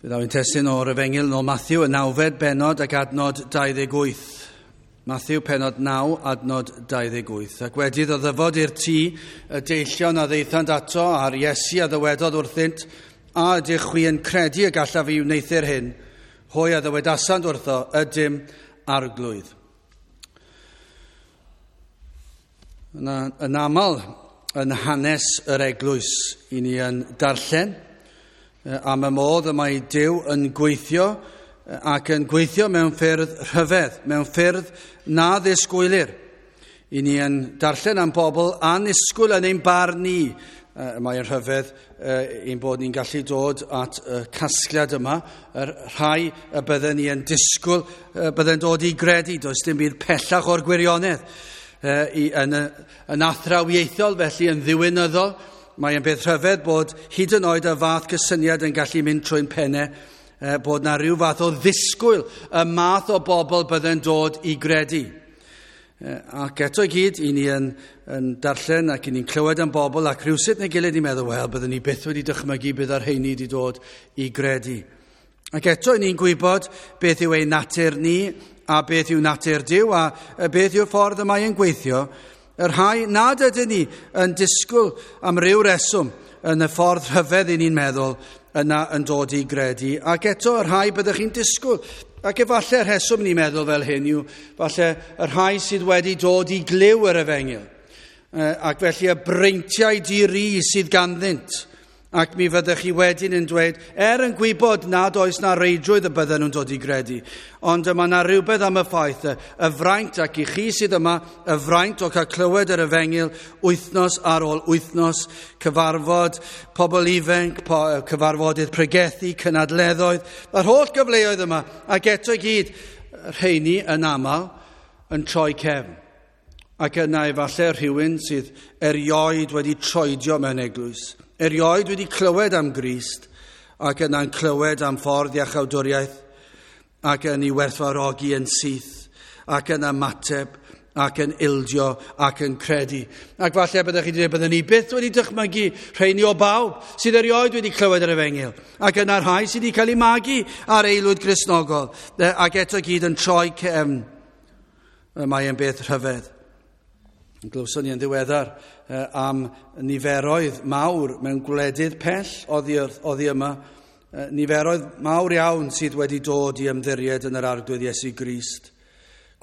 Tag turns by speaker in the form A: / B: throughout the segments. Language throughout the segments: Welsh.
A: Fe ddaw ein testun o'r Efengyl nôl Matthew, y nawfed bennod ac adnod 28. Matthew pennod 9, adnod 28. Ac wedi iddo ddyfod i'r tŷ, y deillion a ddaethant ato, a'r Iesu a ddywedodd wrthynt, a ydych chwi yn credu y gallaf fi wneuthur hyn? Hwy a ddywedasant wrtho, ydym arglwydd. Yna, yn aml, yn hanes yr eglwys, i ni yn darllen am y modd y mae Duw yn gweithio ac yn gweithio mewn ffyrdd rhyfedd, mewn ffyrdd na ddisgwylir. I ni yn darllen am bobl annisgwyl yn ein barn ni. Mae'n rhyfedd ein bod ni'n gallu dod at y casgliad yma, yr rhai y bydden ni yn disgwyl, bydden dod i gredu, does dim byd pellach o'r gwirionedd. Yn athrawiaethol, felly yn ddiwinyddol, mae'n beth rhyfedd bod hyd yn oed y fath gysyniad yn gallu mynd trwy'n pennau, bod na rhyw fath o ddisgwyl y math o bobl bydden dod i gredu. Ac eto i gyd, i ni yn darllen ac i ni'n clywed am bobl ac rhywsut neu gilydd i'n meddwl, wel, byddwn ni byth wedi dychmygu bydd ar rheini wedi dod i gredu. Ac eto i ni'n gwybod beth yw ein natur ni a beth yw natur Duw a beth yw'r ffordd y mae yn gweithio. Y rhai nad ydyn ni yn disgwyl am ryw reswm yn y ffordd rhyfedd i ni'n meddwl yna yn dod i gredu. Ac eto y rhai byddwch chi'n disgwyl. Ac efallai'r rheswm ni'n meddwl fel hyn yw falle y rhai sydd wedi dod i glyw yr efengyl. Ac felly y breintiau di-ri sydd ganddynt. Ac mi fyddech chi wedyn yn dweud, yn gwybod nad oes na reidrwydd y bydden nhw'n dod i gredu, ond mae yna rhywbeth am y ffaith, y fraint, ac i chi sydd yma, y fraint o cael clywed yr efengyl wythnos ar ôl wythnos, cyfarfod pobl ifanc, cyfarfodydd pregethu, cynadleddoedd, yr holl gyfleoedd yma, ac eto i gyd, rheini yn aml yn troi cefn. Ac yna efallai rhywun sydd erioed wedi troedio mewn eglwys, erioed wedi clywed am Grist, ac yna'n clywed am ffordd iachawdwriaeth, ac yn ei werthfawrogi yn syth, ac yn ymateb, ac yn ildio, ac yn credu. Ac falle byddech chi wedi dweud, byddwn ni byth wedi dychmygu rheini o bawb sydd erioed wedi clywed yr efengyl, ac yna'r rhai sydd wedi cael eu magu ar aelwyd Gristnogol, ac eto gyd yn troi cefn. Mae e'n beth rhyfedd. Glywson ni yn ddiweddar am niferoedd mawr mewn gwledydd pell oddi yma, niferoedd mawr iawn sydd wedi dod i ymddiried yn yr Arglwydd Iesu Grist.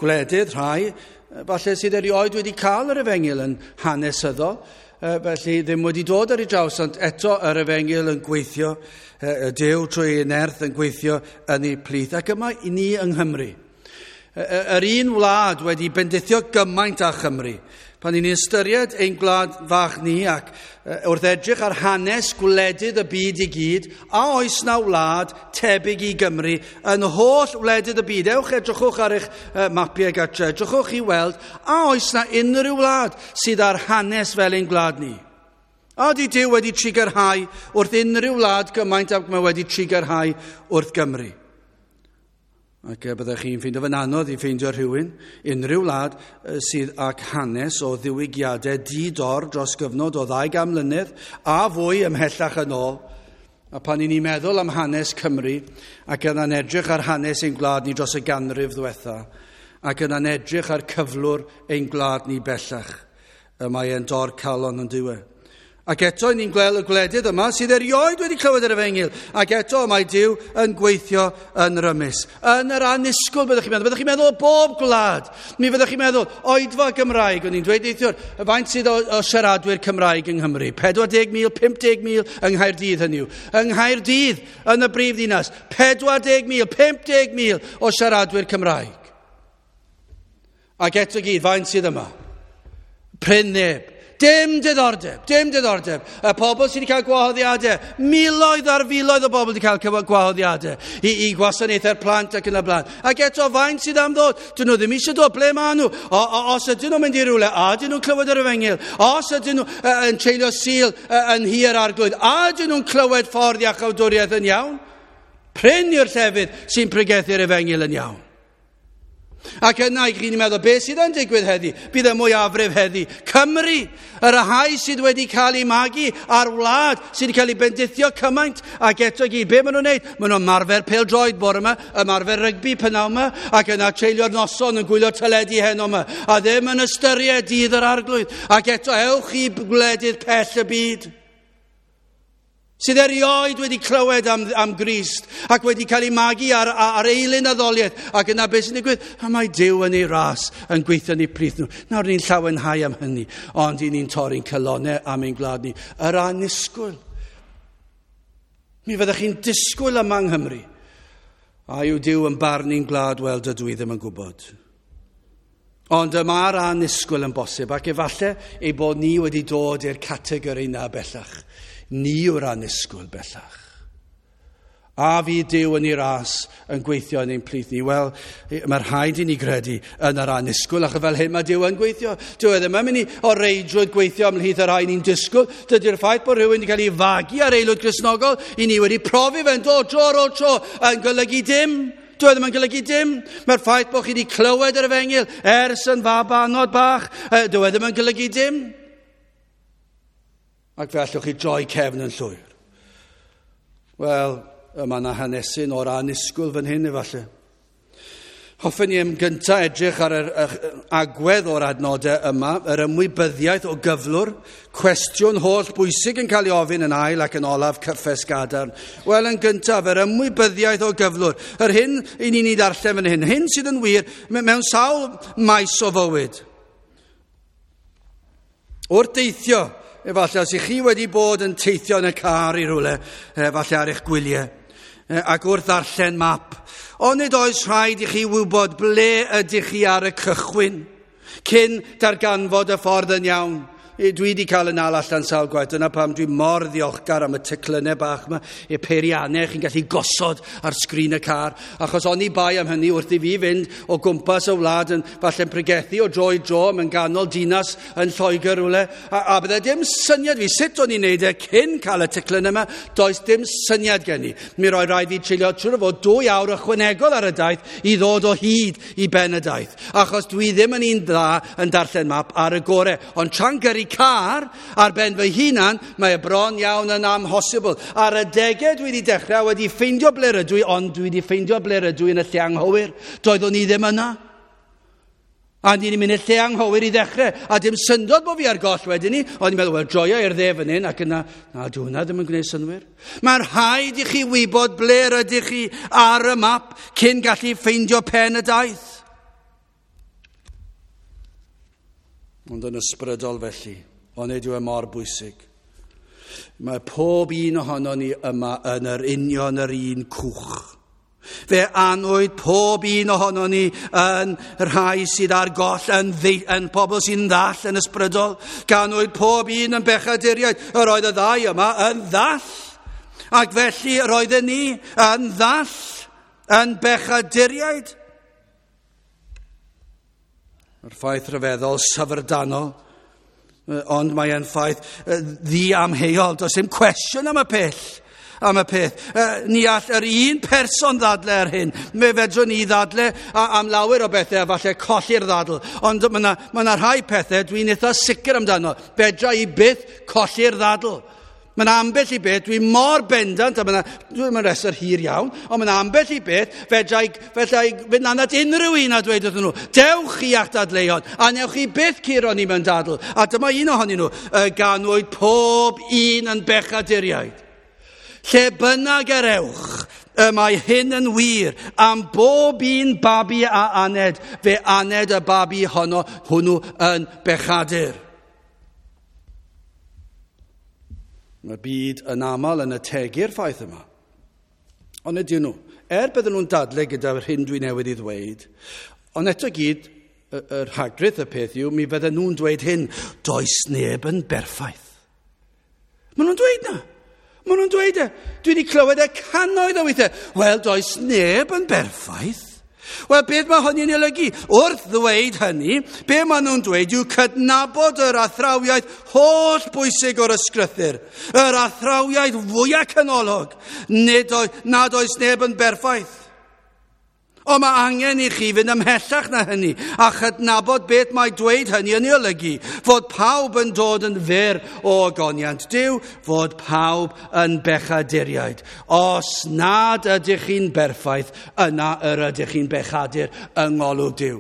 A: Gwledydd rhai, falle sydd erioed wedi cael yr efengyl yn hanesyddol, felly ddim wedi dod ar ei draws, ond eto yr efengyl yn gweithio, y Duw trwy ei nerth yn gweithio yn ei plith. Ac yma i ni yng Nghymru. Yr un wlad wedi bendithio gymaint â Chymru. Pan ni'n ystyried ein gwlad fach ni ac wrth edrych ar hanes gwledydd y byd i gyd, a oes na wlad tebyg i Gymru yn holl wledydd y byd? Ewch edrychwch ar eich mapiau gartre, edrychwch i weld, a oes na unrhyw wlad sydd ar hanes fel ein gwlad ni? A ydy Duw wedi trigarhau wrth unrhyw wlad gymaint ag mae wedi trigarhau wrth Gymru? Ac byddech chi'n ffeindio fe'n anodd i ffeindio rhywun, unrhyw wlad sydd ag hanes o ddiwygiadau di-dor dros gyfnod o 200 mlynedd a fwy ymhellach yn ôl. A pan i ni'n meddwl am hanes Cymru, ac yna'n edrych ar hanes ein gwlad ni dros y ganrif ddiwetha, ac yna'n edrych ar cyflwr ein gwlad ni bellach, y mae e'n dor calon yn diwedd. Ac eto ni'n gweld y gwledydd yma sydd erioed wedi clywed yr efengyl. Ac eto mae Duw yn gweithio yn rymus. Yn yr annisgwyl byddwch chi'n meddwl. Byddwch chi'n meddwl o bob gwlad. Mi fyddwch chi'n meddwl oedfa Gymraeg. O'n i'n dweud neithiwr, faint sydd o siaradwyr Cymraeg yng Nghymru? 40,000, 50,000 yng Nghaerdydd hynny yw. Yng Nghaerdydd, yn y brif ddinas, 40,000, 50,000 o siaradwyr Cymraeg. Ac eto gyd, faint sydd yma? Prin neb. Dim diddordeb, dim diddordeb. Y pobl sydd wedi cael gwahoddiadau, miloedd ar filoedd o bobl wedi cael gwahoddiadau i gwasanaethau'r plant ac yn y blaen. Ac eto, faint sydd am ddod? Dyn nhw ddim eisiau dod, ble maen nhw? Os ydyn nhw'n mynd i rywle, a ydyn nhw'n clywed yr efengyl? Os ydyn nhw yn treulio Sul yn hir arglwydd, a ydyn nhw'n clywed ffordd iachawdwriaeth yn iawn? Prin yw'r llefydd sy'n pregethu'r efengyl yn iawn. Ac yna i chi'n meddwl, beth sydd yn digwydd heddi? Bydd y mwyafrif heddi. Cymru, y rhai sydd wedi cael ei magu ar wlad, sydd wedi cael ei bendithio cymaint, ac eto gyd, be maen nhw'n neud? Maen nhw'n ymarfer pêl-droed bore yma, ymarfer rygbi p'nawn yma, ac yna treulio'r noson yn gwylio teledu heno yma, a ddim yn ystyried dydd yr Arglwydd. Ac eto ewch i gwledydd pell y byd, sydd erioed wedi clywed am Grist ac wedi cael ei magu ar eilun addoliaeth, ac yna beth sy'n digwydd? A mae Duw yn ei ras yn gweithio yn eu plith nhw. Nawr ni'n llawenhau am hynny, ond i ni'n torri'n calonnau am ein gwlad ni. Yr annisgwyl. Mi fyddech chi'n disgwyl yma yng Nghymru. A yw Duw yn barnu'n gwlad? Wel, dydw i ddim yn gwybod. Ond y mae'r annisgwyl yn bosib, ac efallai ei bod ni wedi dod i'r categori yna bellach. Ni yw'r annisgwyl bellach. A fydd Duw yn ei ras yn gweithio yn ein plith ni? Wel, mae rhaid i ni gredu yn yr annisgwyl, achos fel hyn mae Duw yn gweithio. Dyw e ddim yn mynd i o reidrwydd gweithio ymhlith y rhai ni'n disgwyl. Dydy'r ffaith bod rhywun wedi cael ei fagu ar aelwyd Gristnogol, i ni wedi profi fe'n dod tro ar ôl tro yn golygu dim. Dyw e ddim yn golygu dim. Mae'r ffaith bod chi wedi clywed yr efengyl ers yn fabanod bach, dyw e ddim yn golygu dim. Ac fe allwch chi droi cefn yn llwyr. Wel, yma yna hanesyn o'r annisgwyl fan hyn efallai. Hoffen ni am gyntaf edrych ar yr agwedd o'r adnodau yma, yr ymwybyddiaeth o gyflwr, cwestiwn holl bwysig yn cael ei ofyn yn ail ac yn olaf cyffes gadarn. Wel, yn gyntaf, yr ymwybyddiaeth o gyflwr. Yr hyn i ni'n ei ddarllen fan hyn, hyn sydd yn wir mewn sawl maes o fywyd. Wrth deithio, efallai os ych chi wedi bod yn teithio yn y car i rywle, efallai ar eich gwyliau, ac wrth ddarllen map, onid oes rhaid i chi wybod ble ydych chi ar y cychwyn, cyn darganfod y ffordd yn iawn. Dwi wedi cael yn nal allan sawl gwaith, dyna pam dwi mor ddiolchgar am y teclynnau bach yma, y peiriannau chi'n gallu gosod ar sgrin y car, achos oni bai am hynny wrth i fi fynd o gwmpas y wlad yn falle'n pregethu o dro i dro mewn ganol dinas yn Lloegr rhywle, a bydde dim syniad fi sut o'n i'n neud e cyn cael y teclyn yma, does dim syniad gen i. Mi roi rhaid fi treulio trwy fod 2 awr ychwanegol ar y daith i ddod o hyd i ben y daith, achos dwi ddim yn un dda yn darllen map ar y gore, ond tra'n gyrru car ar ben fy hunan, mae e bron iawn yn amhosibl. Ar y degau dwi wedi dechrau, wedi ffeindio ble rydw i, ond dwi wedi ffeindio ble rydw i yn y lle anghywir. Doeddwn i ddim yna. A ni'n mynd i'r lle anghywir i ddechrau. A dim syndod bod fi ar goll wedyn ni. O'n i'n meddwl, wel, joio i'r dde fan hyn, ac yna, na, dwi hwnna ddim yn gwneud synnwyr. Mae'n rhaid i chi wybod ble rydych chi ar y map cyn gallu ffeindio pen y daith. Ond yn ysbrydol felly, ond nid yw e mor bwysig. Mae pob un ohonon ni yma yn yr union yr un cwch. Fe anwyd pob un ohonon ni yn rhai sydd ar goll, yn pobl sy'n ddall yn ysbrydol. Ganwyd pob un yn bechaduriaid. Yr oedd y ddau yma yn ddall. Ac felly yr oedden ni yn ddall, yn bechaduriaid. Mae'r ffaith rhyfeddol, syfrdanol, ond mae e'n ffaith ddiamheuol. Does dim cwestiwn am y peth. Ni all yr un person ddadle ar hyn. Mi fedrwn ni ddadle am lawer o bethau, a falle colli'r ddadl. Ond mae yna rhai pethau dwi'n eitha sicr amdano. Fedra i byth colli'r ddadl. Mae yna ambell i beth, dwi mor bendant, a mae yna rhestr hir iawn, ond mae yna ambell i beth, fedra i fynd lan at unrhyw un a dweud wrthyn nhw, dewch chi a'ch dadleuon, a newch chi byth curo ni mewn dadl. A dyma un ohonyn nhw, y ganwyd pob un yn bechaduriaid. Lle bynnag yr ewch, y mae hyn yn wir, am bob un babi a aned, fe aned y babi honno hwnnw yn bechadur. Mae'r byd yn aml yn ategu'r ffaith yma. Ond ydyn nhw, bydden nhw'n dadle gyda'r hyn dwi newydd i ddweud, ond eto gyd, yr rhagrith y peth yw, mi fydden nhw'n dweud hyn, does neb yn berffaith. Maen nhw'n dweud na. Maen nhw'n dweud e. Dwi wedi clywed e cannoedd o weithiau. Wel, does neb yn berffaith. Wel, beth mae hynny'n olygu? Wrth ddweud hynny, be maen nhw'n dweud yw cydnabod yr athrawiaeth holl bwysig o'r ysgrythur, yr athrawiaeth fwyaf canolog, nad oes neb yn berffaith. Ond mae angen i chi fynd ymhellach na hynny a chydnabod beth mae dweud hynny yn ei olygu, fod pawb yn dod yn fyr o ogoniant Duw, fod pawb yn bechaduriaid. Os nad ydych chi'n berffaith, yna yr ydych chi'n bechadur yng ngolwg Duw.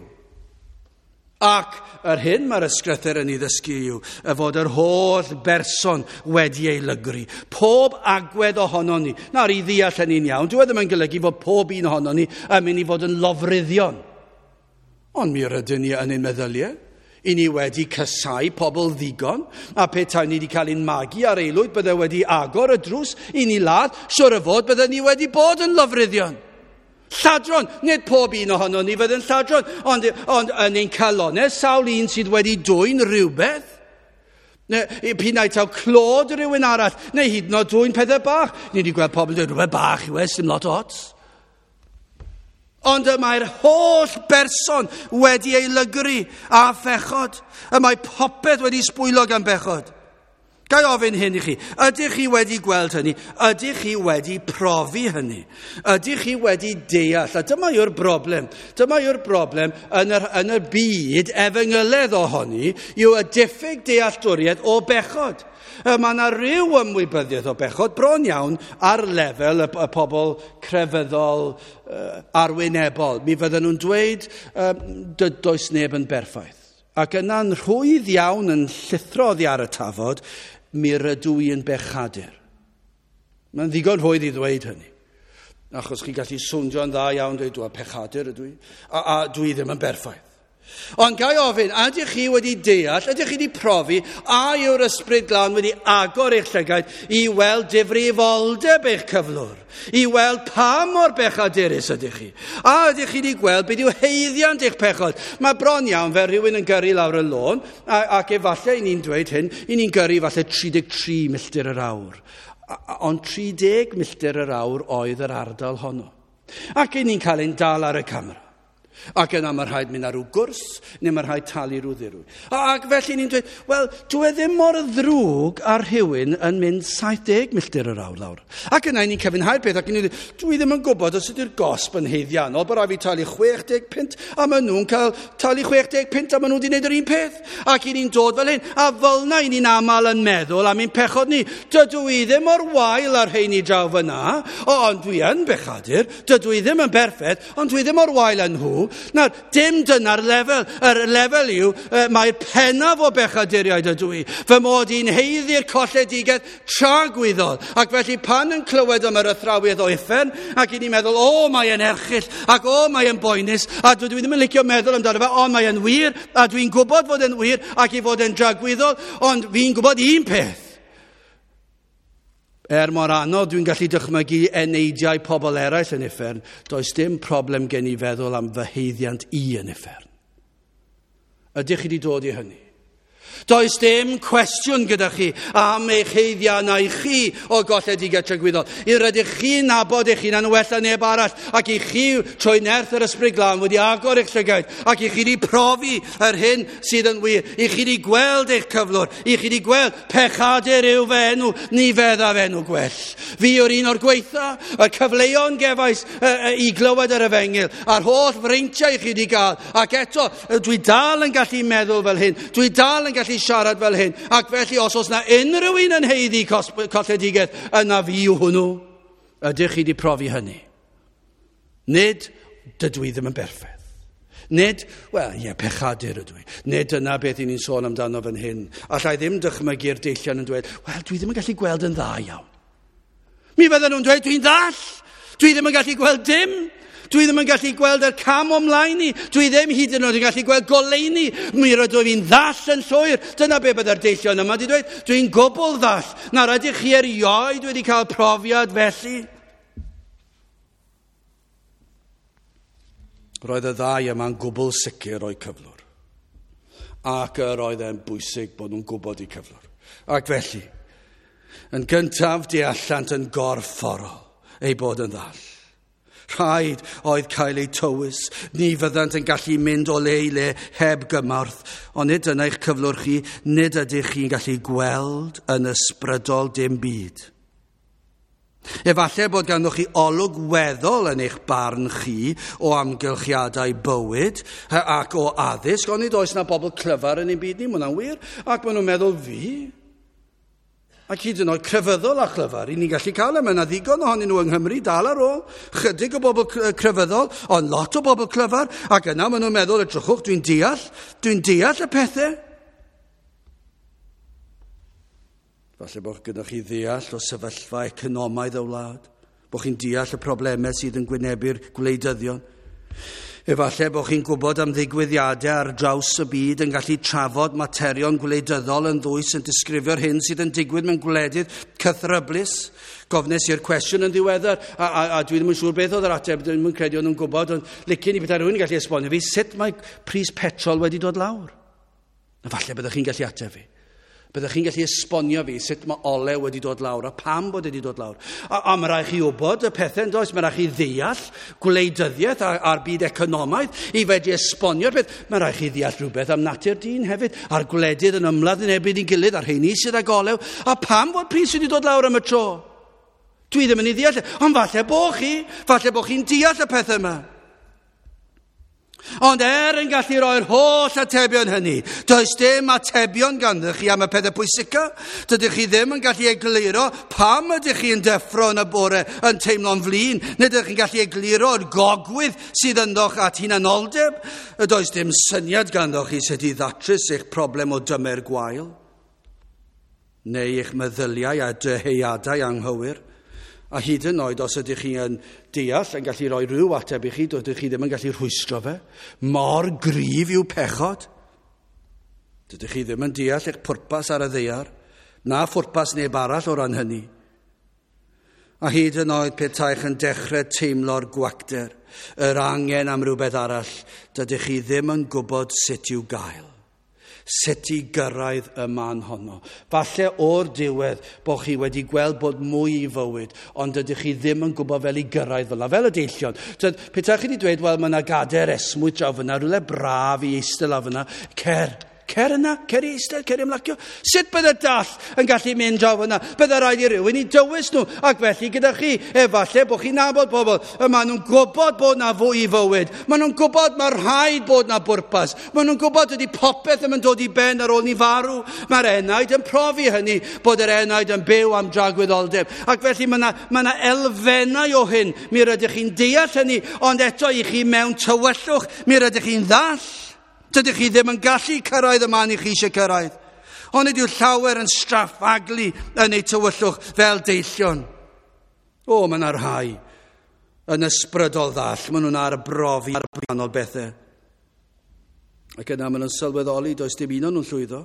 A: Ac yr hyn mae'r ysgrythur yn ei ddysgu yw y fod yr holl berson wedi ei lygru. Pob agwedd ohonon ni. Nawr, i ddeall hynny'n iawn, dyw e ddim yn golygu fod pob un ohonon ni yn mynd i fod yn lofruddion. Ond mi rydyn ni yn ein meddyliau. I ni wedi casau pobl ddigon, a petai ni wedi cael ein magu ar aelwyd, bydde wedi agor y drws i ni ladd, siwr o fod bydde ni wedi bod yn lofruddion. Lladron, nid pob un ohono ni fydd yn lladron, ond yn ein calonau, sawl un sydd wedi dwyn rhywbeth, neu p'un ai taw clod rhywun arall, neu hyd yn oed dwyn pethau bach. Ni wedi gweld pobl yn dweud rhywbeth bach yw e, sim lot o ots. Ond y mae'r holl berson wedi ei lygru a phechod. Y mae popeth wedi sbwylo gan bechod. Ga i ofyn hyn i chi, ydych chi wedi gweld hynny? Ydych chi wedi profi hynny? Ydych chi wedi deall? A dyma yw'r broblem. Dyma yw'r broblem yn y byd efengyledd ohoni, yw y diffyg dealltwriaeth o bechod. Mae yna ryw ymwybyddiaeth o bechod bron iawn ar lefel y pobl crefyddol arwynebol. Mi fydden nhw'n dweud, does neb yn berffaith. Ac yna'n rhwydd iawn yn llithro oddi ar y tafod, mi rydw i yn bechadur. Mae'n ddigon rhwydd i ddweud hynny. Achos chi'n gallu swndio'n dda iawn, dweud, dwi'n pechadur ydw i, a dwi ddim yn berffaith. Ond ga i ofyn, ydych chi wedi deall, ydych chi wedi profi, a yw'r Ysbryd Glân wedi agor eich llygaid i weld difrifoldeb eich cyflwr, i weld pa mor bechadurus ydych chi, a ydych chi wedi gweld beth yw haeddiant eich pechod. Mae bron iawn fel rhywun yn gyrru lawr y lôn, ac efallai i ni'n dweud hyn, i ni'n gyrru falle 33 milltir yr awr. Ond 30 milltir yr awr oedd yr ardal honno. Ac i ni'n cael ein dal ar y camera. Ac yna mae rhaid mynd ar ryw gwrs, neu mae rhaid talu rhyw ddirwy. Ac felly ni'n dweud, wel, dwi e ddim mor ddrwg ar rhywun yn mynd 70 milltir yr awr lawr. Ac yna ni'n cyfiawnhau'r peth, ac ni'n dweud, dwi ddim yn gwybod os ydy'r gosb yn haeddiannol, bod rhaid fi talu 60 punt, a maen nhw'n cael talu 60 punt, a maen nhw wedi gwneud yr un peth. Ac i ni'n dod fel hyn, a fel yna i ni'n aml yn meddwl am ein pechod ni. Dydw i ddim mor wael ar rheini draw fyna, ond dwi yn bechadur, dydw i ddim yn berffaith, ond dwi ddim mor wael â nhw. Nawr, dim dyna'r lefel. Yr lefel yw, mae'r pennaf o bechaduriaid ydw i. Fy mod i'n haeddu'r colledigaeth tragwyddol. Ac felly pan yn clywed am yr athrawiaeth o uffern, ac i ni'n meddwl, o, mae e'n erchyll, ac o, mae e'n boenus, a dwi ddim yn licio meddwl amdano fe, ond mae e'n wir, a dwi'n gwybod fod e'n wir, ac i fod e'n dragwyddol, ond fi'n gwybod un peth. Er mor anodd dwi'n gallu dychmygu eneidiau pobl eraill yn uffern, does dim problem gen i feddwl am fy haeddiant i yn uffern. Ydych chi wedi dod i hynny? Does dim cwestiwn gyda chi am eich haeddiannau chi o golledigaeth tragwyddol. Yr ydych chi'n nabod eich hunan yn well na neb arall, ac i chi trwy nerth yr Ysbryd Glân wedi agor eich llygaid, ac i chi wedi profi yr hyn sydd yn wir, i chi wedi gweld eich cyflwr, i chi wedi gweld pechadur yw fy enw, ni feddaf enw gwell. Fi yw'r un o'r gweitha, y cyfleon gefais i glywed yr efengyl, a'r holl freintiau i chi wedi gael, ac eto dwi dal yn gallu meddwl fel hyn, dwi dal yn gallu siarad fel hyn, ac felly os oes na unrhyw un yn haeddu colledigaeth, yna fi yw hwnnw. Ydych chi wedi profi hynny? Nid, dydw i ddim yn berffaith. Nid, wel, ie, pechadur ydw i. Nid yna beth i ni'n sôn amdano fan hyn. Alla i ddim dychmygu'r deillion yn dweud, wel, dwi ddim yn gallu gweld yn dda iawn. Mi fydden nhw'n dweud, dwi'n ddall. Dwi ddim yn gallu gweld dim. Dwi ddim yn gallu gweld yr cam o mlaen i. Dwi ddim hyd yn oed yn gallu gweld goleuni. Mi rydw i'n ddall yn llwyr. Dyna be bydde'r deillion yma wedi dweud. Dwi'n gwbl ddall. Nawr ydych chi erioed wedi cael profiad felly? Roedd y ddau yma'n gwbl sicr o'i cyflwr. Ac yr oedd e'n bwysig bod nhw'n gwybod eu cyflwr. Ac felly, yn gyntaf deallant yn gorfforol ei bod yn ddall. Rhaid oedd cael eu tywys. Ni fyddant yn gallu mynd o le i le heb gymorth. Ond nid dyna eich cyflwr chi, nid ydych chi'n gallu gweld yn ysbrydol dim byd. Efallai bod ganddoch chi olwg weddol yn eich barn chi o amgylchiadau bywyd ac o addysg, ond nid oes na bobl clyfar yn ein byd ni, mae hwnna'n wir, ac maen nhw'n meddwl fi. Ac hyd yn oed crefyddol a chlyfar, i ni'n gallu cael e, mae yna ddigon ohonyn nhw yng Nghymru dal ar ôl, chydig o bobl crefyddol, ond lot o bobl clyfar, ac yna maen nhw'n meddwl, edrychwch, dwi'n deall y pethau. Falle bod gyda chi ddeall o sefyllfa economaidd y wlad, bod chi'n deall y problemau sydd yn gwynebu'r gwleidyddion. Efallai bod chi'n gwybod am ddigwyddiadau ar draws y byd yn gallu trafod materion gwleidyddol yn ddwys yn disgrifio'r hyn sydd yn digwydd mewn gwledydd cythryblus. Gofnes i'r cwestiwn yn ddiweddar, a dwi ddim yn siŵr beth oedd yr ateb, dwi'n ddim yn credu o'n nhw'n gwybod, ond licen i bethau rhywun yn gallu esbonio fi sut mae pris petrol wedi dod lawr. A falle byddwch chi'n gallu ateb fi. Byddwch chi'n gallu esbonio fi sut mae olew wedi dod lawr a pam bod wedi dod lawr. A mae rhaid chi wybod y pethau yn does, mae rhaid chi ddeall gwleidyddiaeth a'r byd economaidd i fedru esbonio'r peth. Mae rhaid chi ddeall rhywbeth am natur dyn hefyd, a'r gwledydd yn ymladd yn erbyn ei gilydd, a'r rheini sydd ag olew. A pam bod pris wedi dod lawr am y tro? Dwi ddim yn ei ddeall, ond falle bo chi'n deall y pethau yma. Ond er yn gallu roi'r holl atebion hynny, does dim atebion ganddo chi am y pethau pwysica. Dydych chi ddim yn gallu egluro pam ydych chi yn deffro yn y bore yn teimlo'n flin. Nid ydych chi'n gallu egluro'r gogwydd sydd ynddoch at hunanoldeb. Does dim syniad ganddo chi sut i ddatrys eich problem o dymer gwael, neu eich meddyliau a dyheadau anghywir. A hyd yn oed os ydych chi yn deall, yn gallu rhoi rhyw ateb i chi, dydych chi ddim yn gallu rhwystro fe. Mor gryf yw pechod. Dydych chi ddim yn deall eich pwrpas ar y ddaear, na phwrpas neb arall o ran hynny. A hyd yn oed petaech yn dechrau teimlo'r gwacter, yr angen am rhywbeth arall, dydych chi ddim yn gwybod sut i'w gael. Sut i gyrraedd y man honno. Falle o'r diwedd bod chi wedi gweld bod mwy i fywyd, ond dydych chi ddim yn gwybod fel i gyrraedd fel 'na, fel y deillion. Petai chi wedi dweud, wel, mae yna gader esmwyth draw fyna, rhywle braf i eistedd lawr fyna, cer yna, cer i eistedd, cer i ymlacio. Sut bydde dall yn gallu mynd draw fyna? Bydde rhaid i rywun i dywys nhw. Ac felly gyda chi, efallai bod chi'n nabod bobl, y maen nhw'n gwybod bod na fwy i fywyd. Maen nhw'n gwybod mae rhaid bod na bwrpas. Maen nhw'n gwybod ydy popeth ddim yn dod i ben ar ôl ni farw. Mae'r enaid yn profi hynny, bod yr enaid yn byw am dragwyddoldeb. Ac felly mae yna elfennau o hyn. Mi rydych chi'n deall hynny, ond eto i chi mewn tywyllwch, mi rydych chi'n ddall. Dydych chi ddim yn gallu cyrraedd y man i chi eisiau cyrraedd. Ond nid yw llawer yn straffaglu yn eu tywyllwch fel deillion. O, mae yna rhai yn ysbrydol ddall. Maen nhw'n arbrofi ar gwahanol bethau. Ac yna maen nhw'n sylweddoli, does dim un o'n nhw'n llwyddo.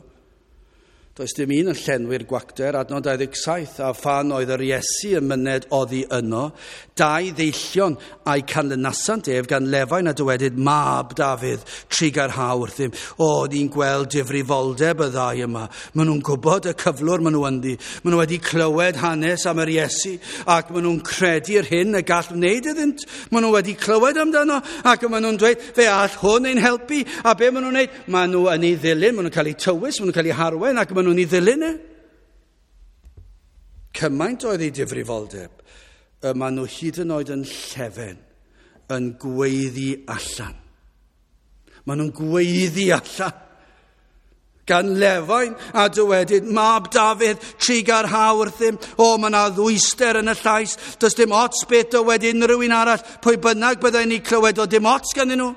A: Does dim un yn llenwi'r gwacter, adnod 27, a phan oedd yr Iesu yn myned oddi yno, dau ddeillion a'i canlynasant ef gan lefain a dywedyd, Mab Dafydd, trugarha wrthym. O, ni'n gweld difrifoldeb y ddau yma. Maen nhw'n gwybod y cyflwr maen nhw ynddi. Maen nhw wedi clywed hanes am yr Iesu, ac maen nhw'n credu'r hyn y gall wneud iddynt. Maen nhw wedi clywed amdano, ac maen nhw'n dweud, fe all hwn ein helpu. A be maen nhw'n wneud? Maen nhw yn ei ddilyn, maen nhw'n cael eu tywys, maen nhw'n cael eu harwain, ac maen nhw'n ei ddilyn e. Cymaint oedd ei difrifoldeb, y maen nhw hyd yn oed yn llefen, yn gweiddi allan. Maen nhw'n gweiddi allan. Gan lefain a dywedyd, Mab Dafydd, trugarha wrthym. O, mae yna ddwyster yn y llais. Does dim ots beth dywed unrhyw un arall. Pwy bynnag byddai'n ei clywed, o dim ots ganddyn nhw.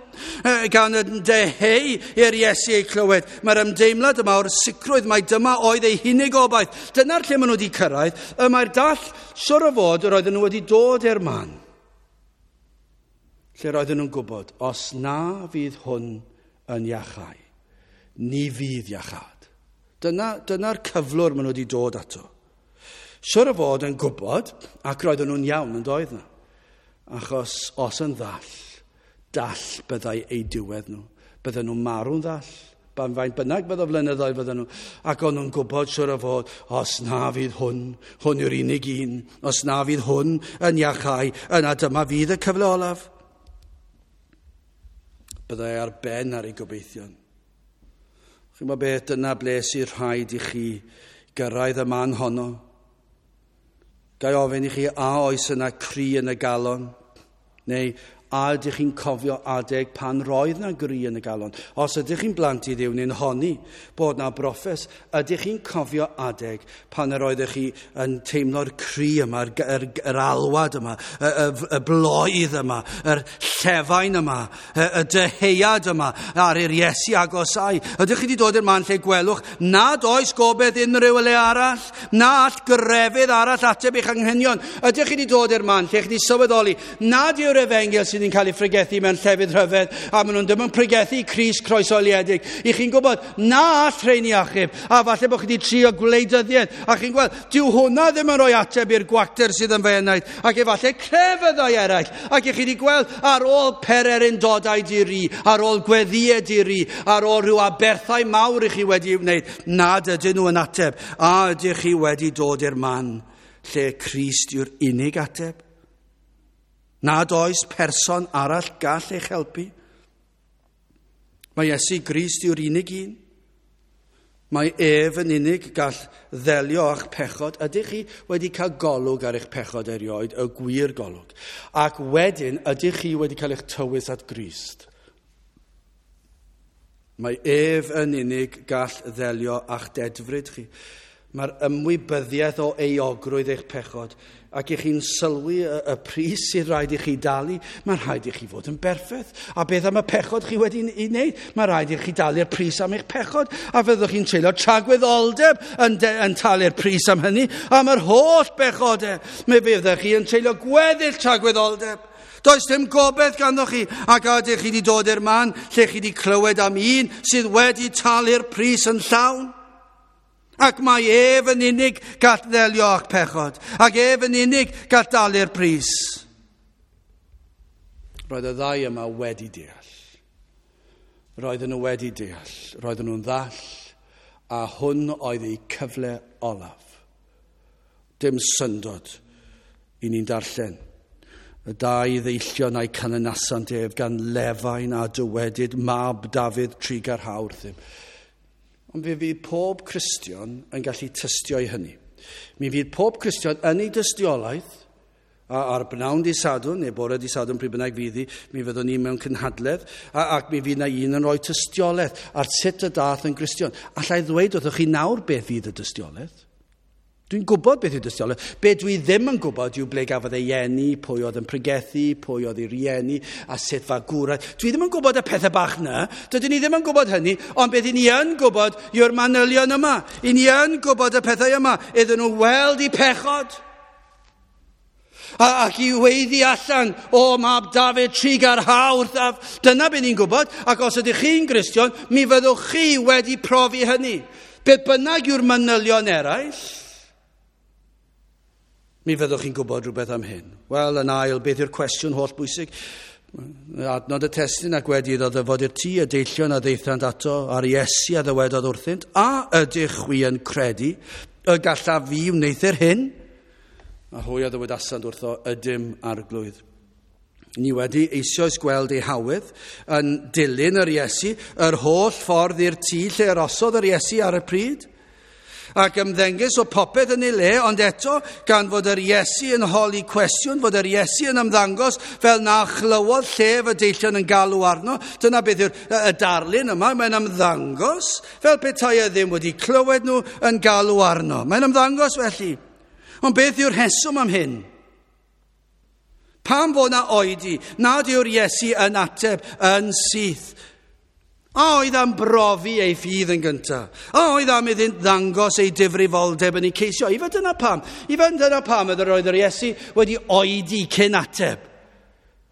A: Gan y deheu i'r Iesu ei clywed. Mae'r ymdeimlad yma o'r sicrwydd mai dyma oedd ei hunig obaith. Dyna'r lle maen nhw wedi cyrraedd. Y mae'r dall, siwr o fod, yr oedden nhw wedi dod i'r man. Lle roedden nhw'n gwybod, os na fydd hwn yn iachau, ni fydd iachâd. Dyna'r cyflwr maen nhw wedi dod ato. Siwr o fod yn gwybod, ac roedden nhw'n iawn yn doedd na. Achos os yn ddall, dall byddai eu diwedd nhw. Bydden nhw'n marw'n ddall. Ban faint bynnag bydde flynyddoedd bydden nhw. Ac o'n nhw'n gwybod siwr o fod, os na fydd hwn, hwn yw'r unig un, os na fydd hwn yn iachau, yna dyma fydd y cyfle olaf. Byddai ar ben ar ei gobeithion. Chi'n gwybod beth, dyna ble sy'n rhaid i chi gyrraedd y man honno. Ga i ofyn i chi, a oes yna cri yn y galon? Neu a ydych chi'n cofio adeg pan roedd na gri yn y galon? Os ydych chi'n blant i Dduw neu'n honni bod na broffes, ydych chi'n cofio adeg pan yr oeddech chi yn teimlo'r cri yma, yr alwad yma, y bloedd yma, yr llefain yma, y dyheuad yma ar i'r Iesu agosau? Ydych chi wedi dod i'r man lle gwelwch nad oes gobaith unrhyw le arall, na all grefydd arall ateb eich anghenion? Ydych chi wedi dod i'r man lle chi wedi sylweddoli nad yw'r efengyl sydd yn cael ei phregethu mewn llefydd rhyfedd, a maen nhw'n ddim yn pregethu Crist croeshoeliedig? I chi'n gwybod na all rheini achub, a falle bod chi wedi trio gwleidyddiaeth, a chi'n gweld, dyw hwnna ddim yn rhoi ateb i'r gwacter sydd yn fy enaid, ac efallai crefyddau eraill, ac i chi wedi gweld ar ôl pererindodau di-ri, ar ôl gweddïau di-ri, ar ôl rhyw aberthau mawr i chi wedi wneud, nad ydyn nhw yn ateb. A ydych chi wedi dod i'r man lle Crist yw'r unig ateb? Nad oes person arall gall eich helpu? Mae Iesu Grist yw'r unig un. Mae ef yn unig gall ddelio â'ch pechod. Ydych chi wedi cael golwg ar eich pechod erioed, y gwir golwg? Ac wedyn, ydych chi wedi cael eich tywys at Grist? Mae ef yn unig gall ddelio â'ch dedfryd chi. Mae'r ymwybyddiaeth o euogrwydd eich pechod, ac i chi'n sylwi y pris sydd rhaid i chi dalu, mae'n rhaid i chi fod yn berffaith. A beth am y pechod chi wedi ei wneud? Mae'n rhaid i chi dalu'r pris am eich pechod, a fyddwch chi'n treulio tragwyddoldeb yn talu'r pris am hynny, am yr holl bechodau. Mi fyddwch chi yn treulio gweddill tragwyddoldeb. Does dim gobaith ganddo chi, ac a ydych chi wedi dod i'r man lle chi wedi clywed am un sydd wedi talu'r pris yn llawn? Ac mae ef yn unig gall ddelio â'ch pechod, ac ef yn unig gall dalu'r pris. Roedd y ddau yma wedi deall. Roedden nhw wedi deall. Roedden nhw'n ddall, a hwn oedd eu cyfle olaf. Dim syndod i ni'n darllen. Y dau ddeillion a'i canlynasant ef gan lefain a dywedyd, Mab Dafydd, trugarha wrthym. Ond fe fydd pob Cristion yn gallu tystio i hynny. Mi fydd pob Cristion yn ei dystiolaeth, a ar bnawn di Sadwrn, neu bore di Sadwrn pryd bynnag fydd hi, mi fyddwn ni mewn cynhadledd, ac mi fydd na un yn rhoi tystiolaeth ar sut y dath yn Gristion. Alla i ddweud wrthych chi nawr beth fydd y dystiolaeth? Dwi'n gwybod beth yw dystiolaeth. Be dwi ddim yn gwybod yw ble gafodd ei eni, pwy oedd yn pregethu, pwy oedd ei rieni, a sut fagwraeth. Dwi ddim yn gwybod y pethau bach na. Dydyn ni ddim yn gwybod hynny, ond beth i ni yn gwybod yw'r manylion yma. I ni yn gwybod y pethau yma. Iddyn nhw weld eu pechod. Ac i weiddi allan, o Mab Dafydd, trugarha wrthaf. Dyna beth ni'n gwybod, ac os ydych chi'n Gristion, mi fyddwch chi wedi profi hynny. Beth bynnag yw'r manylion eraill, mi fyddwch chi'n gwybod rhywbeth am hyn. Wel, yn ail, beth yw'r cwestiwn holl bwysig? Adnod y testun, ac wedi iddo ddyfod i'r tŷ, y deillion a ddaethant ato, a'r Iesu a ddywedodd wrthynt, a ydych chwi yn credu y gallaf fi wneuthur hyn? A hwy a ddywedasant wrtho, ydym Arglwydd. Ni wedi eisoes gweld ei hawydd yn dilyn yr Iesu yr holl ffordd i'r tŷ lle arosodd yr Iesu ar y pryd. Ac ymddengys o popeth yn ei le, ond eto, gan fod yr Iesu yn holi cwestiwn, fod yr Iesu yn ymddangos fel na chlywodd llef y deillion yn galw arno. Dyna beth yw'r y darlun yma, mae'n ymddangos fel petai e ddim wedi clywed nhw yn galw arno. Mae'n ymddangos felly. Ond beth yw'r rheswm am hyn? Pam fod na oedi nad yw'r Iesu yn ateb yn syth? A oedd am brofi ei ffydd yn gyntaf? A oedd am iddynt ddangos ei difrifoldeb yn ei ceisio? Ife dyna pam? Ife dyna pam oedd yr Iesu wedi oedi cyn ateb?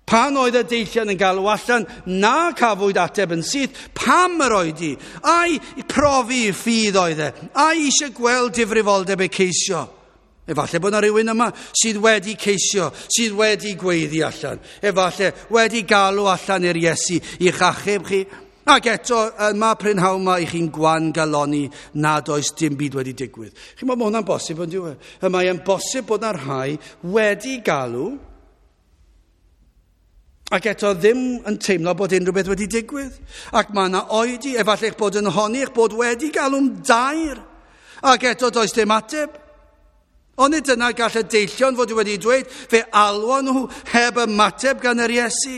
A: Pan oedd y deillion yn galw allan, na cafwyd ateb yn syth, pam yr oedi? Ai profi ffydd oedd e? Ai eisiau gweld difrifoldeb ei ceisio? Efallai bod yna rhywun yma sydd wedi ceisio, sydd wedi gweiddi allan. Efallai wedi galw allan i'r Iesu i'ch achub chi. Ac eto, yma prynhawn yma i chi'n gwan galoni nad oes dim byd wedi digwydd. Chi'n meddwl, mae hwnna'n bosib, ond dyw e? Mae e'n bosib bod yna rhai wedi galw ac eto ddim yn teimlo bod unrhyw beth wedi digwydd. Ac mae yna oedi, efallai eich bod yn honni eich bod wedi galw'n dair ac eto does dim ateb. Ond nid dyna gall y deillion fod wedi dweud, fe alwon nhw heb ymateb gan yr Iesu.